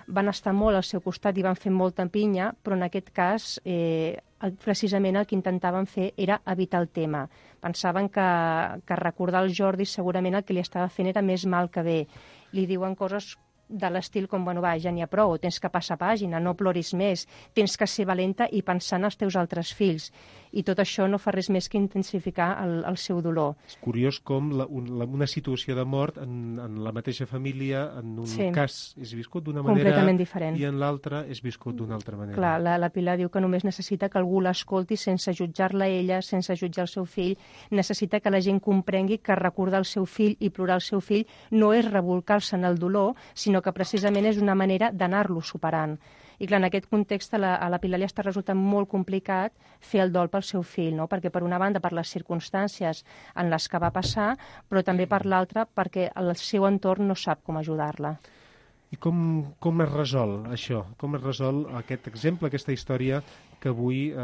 van estar molt al seu costat i van fer molta pinya, però en aquest cas precisament el que intentaven fer era evitar el tema. Pensaven que recordar el Jordi segurament el que li estava fent era més mal que bé. Li diuen coses de l'estil com, bueno, va, ja n'hi ha prou, tens que passar pàgina, no ploris més, tens que ser valenta i pensar en els teus altres fills. I tot això no fa res més que intensificar el seu dolor. És curiós com una situació de mort en la mateixa família, en un cas és viscut d'una manera diferent i en l'altre és viscut d'una altra manera. Clar, la Pilar diu que només necessita que algú l'escolti sense jutjar-la ella, sense jutjar el seu fill, necessita que la gent comprengui que recordar el seu fill i plorar el seu fill no és rebolcar-se en el dolor, sinó que precisament és una manera d'anar-lo superant. I clar, en aquest context a la Pilar li està resultant molt complicat fer el dol pel seu fill, no? Perquè per una banda per les circumstàncies en les que va passar, però també per l'altra perquè el seu entorn no sap com ajudar-la. I com es resol això? Com es resol aquest exemple, aquesta història que avui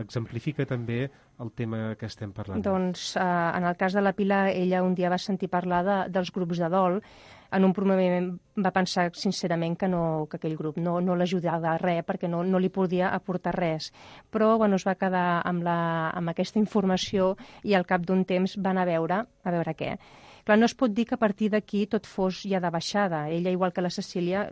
exemplifica també el tema que estem parlant? Doncs en el cas de la Pilar, ella un dia va sentir parlar dels grups de dol. En un primer moment va pensar sincerament que aquell grup no l'ajudava a res perquè no li podia aportar res. Però es va quedar amb aquesta informació i al cap d'un temps van a veure què. Clar, no es pot dir que a partir d'aquí tot fos ja de baixada. Ella, igual que la Cecília,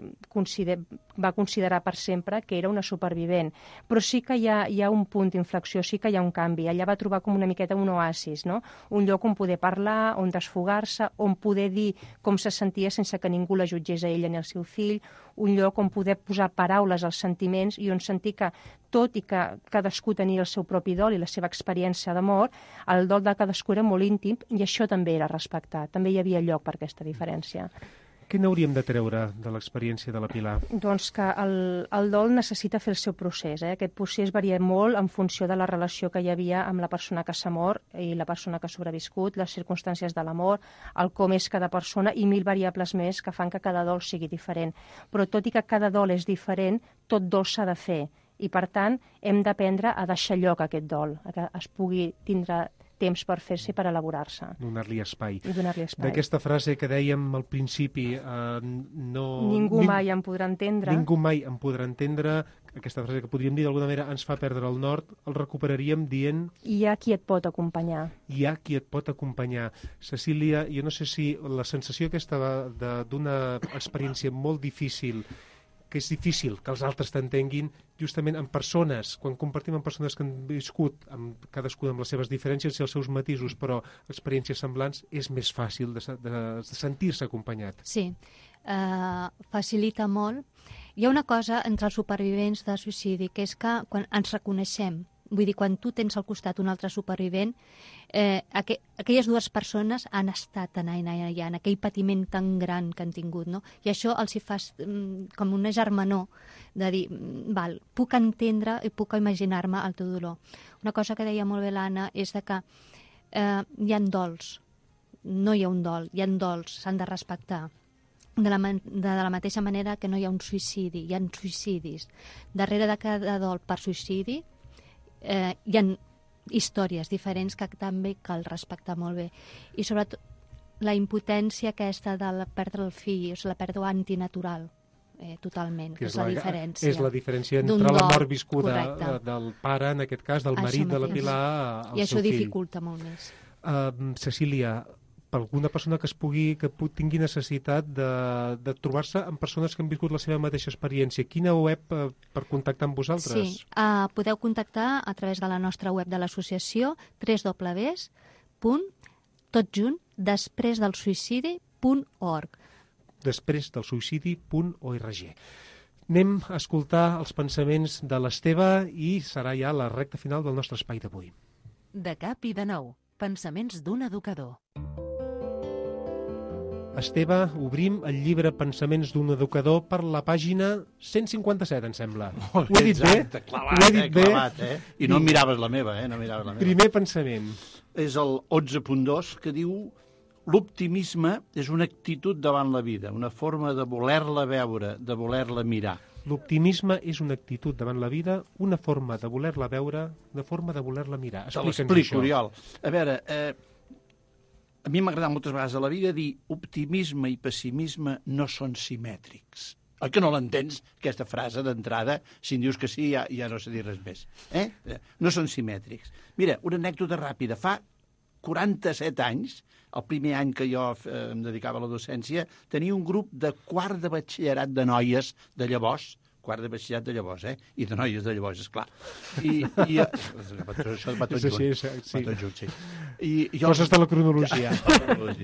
va considerar per sempre que era una supervivent. Però sí que hi ha un punt d'inflexió, sí que hi ha un canvi. Ella va trobar com una miqueta un oasis, no? Un lloc on poder parlar, on desfogar-se, on poder dir com se sentia sense que ningú la jutgés a ella ni al seu fill, un lloc on poder posar paraules als sentiments i on sentir que, tot i que cadascú tenia el seu propi dol i la seva experiència d'amor, el dol de cadascú era molt íntim i això també era respectat. També hi havia lloc per aquesta diferència. Què n'hauríem de treure de l'experiència de la Pilar? Doncs que el dol necessita fer el seu procés. Aquest procés varia molt en funció de la relació que hi havia amb la persona que s'ha mort i la persona que ha sobreviscut, les circumstàncies de l'amor, el com és cada persona i 1000 variables més que fan que cada dol sigui diferent. Però tot i que cada dol és diferent, tot dol s'ha de fer. I, per tant, hem d'aprendre a deixar lloc a aquest dol, que es pugui tindre temps per fer-se i per elaborar-se. Donar-li espai. Donar-li espai. D'aquesta frase que dèiem al principi, Ningú mai em podrà entendre. Ningú mai em podrà entendre, aquesta frase que podríem dir d'alguna manera ens fa perdre el nord, el recuperaríem dient... Hi ha qui et pot acompanyar. Hi ha qui et pot acompanyar. Cecília, jo no sé si la sensació aquesta d'una experiència molt difícil, que és difícil que els altres t'entenguin, justament en persones, quan compartim amb persones que han viscut, cadascuna amb les seves diferències i els seus matisos, però experiències semblants, és més fàcil de sentir-se acompanyat. Sí, facilita molt. Hi ha una cosa entre els supervivents de suïcidi, que és que quan ens reconeixem, vull dir, quan tu tens al costat un altre supervivent, aquelles dues persones han estat allà en aquell patiment tan gran que han tingut, no? I això els hi fa com una germanor de dir, val, puc entendre i puc imaginar-me el teu dolor. Una cosa que deia molt bé l'Anna és que hi ha dols, no hi ha un dol, hi ha dols, s'han de respectar. De la mateixa manera que no hi ha un suïcidi, hi ha suïcidis. Darrere de cada dol per suïcidi hi ha històries diferents que també cal respectar molt bé. I sobretot la impotència aquesta de perdre el fill, és la pèrdua antinatural, totalment, que és la diferència. És la diferència entre la mort viscuda del pare, en aquest cas, del marit de la Pilar, al seu fill. I això dificulta molt més. Cecília, per alguna persona que tingui necessitat de trobar-se amb persones que han viscut la seva mateixa experiència, quina web per contactar amb vosaltres? Sí, podeu contactar a través de la nostra web de l'associació, www.despresdelsuïcidi.org. Despresdelsuïcidi.org. Anem a escoltar els pensaments de l'Esteve i serà ja la recta final del nostre espai d'avui. De cap i de nou, pensaments d'un educador. Esteve, obrim el llibre Pensaments d'un educador per la pàgina 157, em sembla. Ho he dit bé? Ho he dit bé? I no miraves la meva, no miraves la meva. Primer pensament. És el 11.2, que diu: l'optimisme és una actitud davant la vida, una forma de voler-la veure, de voler-la mirar. L'optimisme és una actitud davant la vida, una forma de voler-la veure, una forma de voler-la mirar. Te l'explico, Oriol. A veure, a mi m'ha agradat moltes vegades a la vida dir optimisme i pessimisme no són simètrics. Oi que no l'entens, aquesta frase d'entrada? Si em dius que sí, ja no sé dir res més. No són simètrics. Mira, una anècdota ràpida. Fa 47 anys, el primer any que jo em dedicava a la docència, tenia un grup de quart de batxillerat de noies de llavors, quart de batxillerat de llavors, i de noies de llavors, esclar. Això va tot junt. Va tot junt, sí. Coses de la cronologia.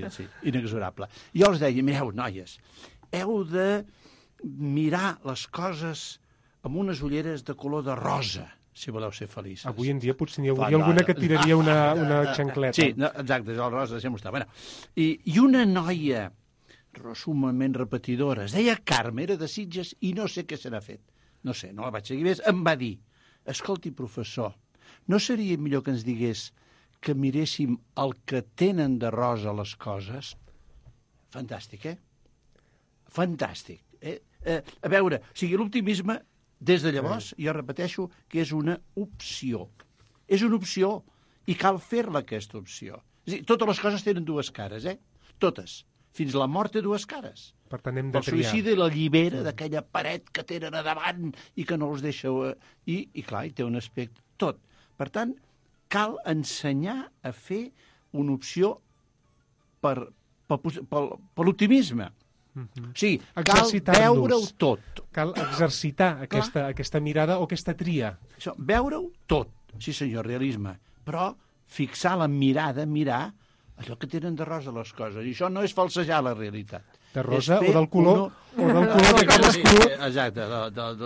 Sí, inexorable. Jo els deia, mireu, noies, heu de mirar les coses amb unes ulleres de color de rosa, si voleu ser feliços. Avui en dia potser n'hi hauria alguna que tiraria una xancleta. Sí, exacte, el rosa sempre està. Bueno, i una noia sumament repetidora, es deia Carme, era de Sitges i no sé què se n'ha fet. No sé, no la vaig seguir més. Em va dir, escolti, professor, no seria millor que ens digués que miréssim el que tenen de rosa les coses? Fantàstic, Fantàstic. A veure, o sigui, l'optimisme, des de llavors, jo repeteixo, que és una opció. És una opció, i cal fer-la, aquesta opció. És a dir, totes les coses tenen dues cares, Totes. Fins la mort té dues cares. Per tant, hem de triar. El suïcidi l'allibera d'aquella paret que tenen a davant i que no els deixa... I clar, hi té un aspecte. Tot. Per tant, cal ensenyar a fer una opció per l'optimisme. Sí, cal veure-ho tot. Cal exercitar aquesta mirada o aquesta tria. Això, veure-ho tot, sí senyor, realisme. Però fixar la mirada, mirar allò que tenen de rosa les coses. I això no és falsejar la realitat. De rosa o del color de cadascú. Exacte,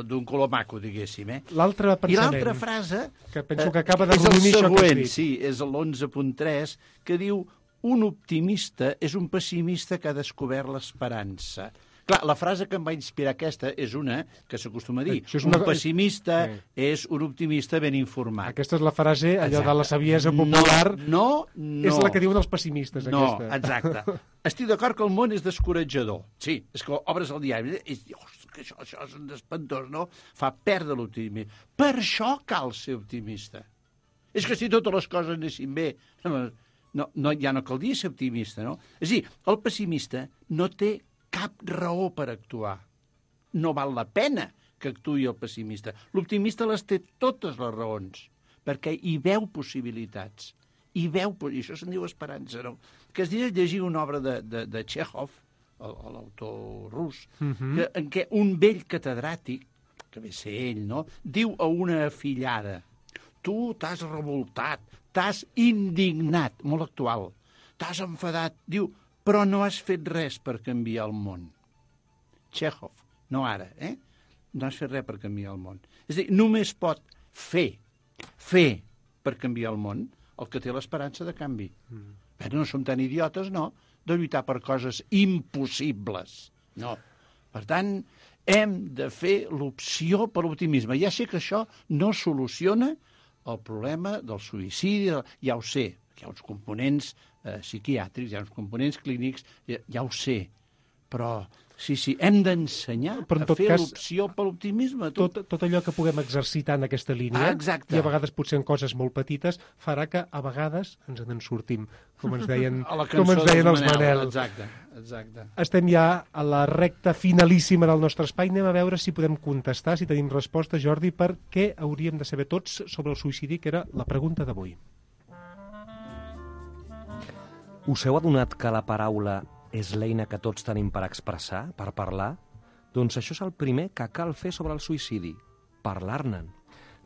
d'un color maco, diguéssim. L'altre pensament. I l'altra frase que penso que acaba de resumir això que has dit. Sí, és l'11.3, que diu: un optimista és un pessimista que ha descobert l'esperança. Clar, la frase que em va inspirar aquesta és una que s'acostuma a dir. Un pessimista és un optimista ben informat. Aquesta és la frase, allò de la saviesa popular. No. És la que diuen els pessimistes, aquesta. No, exacte. Estic d'acord que el món és descoratjador. Sí, és que obres el diari i dius que això és espantós, no? Fa perdre l'optimisme. Per això cal ser optimista. És que si totes les coses anessin bé... ja no caldria ser optimista, no? És a dir, el pessimista no té cap raó per actuar. No val la pena que actuï el pessimista. L'optimista les té totes les raons, perquè hi veu possibilitats. I això se'n diu esperança, no? Que es diu llegir una obra de Chekhov, l'autor rus, en què un vell catedràtic, que ve ser ell, no?, diu a una afillada: tu t'has revoltat, t'has indignat, molt actual, t'has enfadat, diu, però no has fet res per canviar el món. Chekhov, no ara, no has fet res per canviar el món. És a dir, només pot fer per canviar el món el que té l'esperança de canvi. No som tan idiotes, no, de lluitar per coses impossibles. No. Per tant, hem de fer l'opció per l'optimisme. Ja sé que això no soluciona el problema del suïcidi, ja ho sé, hi ha uns components psiquiàtrics, hi ha uns components clínics, ja ho sé, però sí, hem d'ensenyar a fer l'opció per l'optimisme. Tot allò que puguem exercitar en aquesta línia, i a vegades potser en coses molt petites, farà que a vegades ens en sortim, com ens deien els Manel. Exacte. Estem ja a la recta finalíssima del nostre espai. Anem a veure si podem contestar, si tenim resposta, Jordi, per què hauríem de saber tots sobre el suïcidi, que era la pregunta d'avui. Us heu adonat que la paraula és l'eina que tots tenim per expressar, per parlar? Doncs això és el primer que cal fer sobre el suïcidi, parlar-ne'n.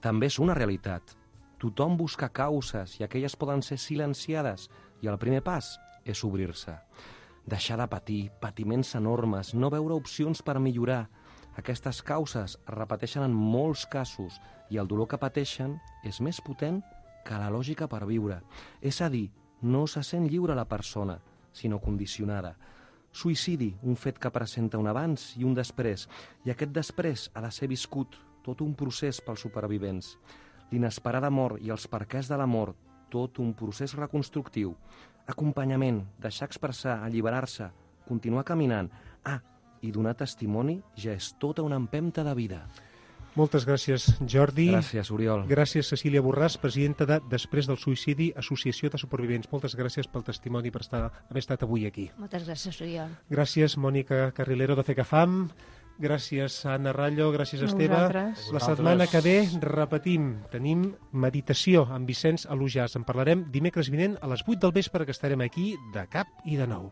També és una realitat. Tothom busca causes i aquelles poden ser silenciades, i el primer pas és obrir-se. Deixar de patir, patiments enormes, no veure opcions per millorar. Aquestes causes es repeteixen en molts casos i el dolor que pateixen és més potent que la lògica per viure. És a dir, no se sent lliure la persona, sinó condicionada. Suïcidi, un fet que presenta un abans i un després, i aquest després ha de ser viscut, tot un procés pels supervivents. L'inesperada mort i els perquès de la mort, tot un procés reconstructiu. Acompanyament, deixar expressar, alliberar-se, continuar caminant. I donar testimoni ja és tota una empenta de vida. Moltes gràcies, Jordi. Gràcies, Oriol. Gràcies, Cecília Borràs, presidenta de Després del Suïcidi, Associació de Supervivents. Moltes gràcies pel testimoni, per haver estat avui aquí. Moltes gràcies, Oriol. Gràcies, Mònica Carrilero de FECAFAM. Gràcies, Anna Rallo. Gràcies, Esteve. La setmana que ve, repetim, tenim meditació amb Vicenç Alujàs. En parlarem dimecres vinent a les 8 del vespre, que estarem aquí de cap i de nou.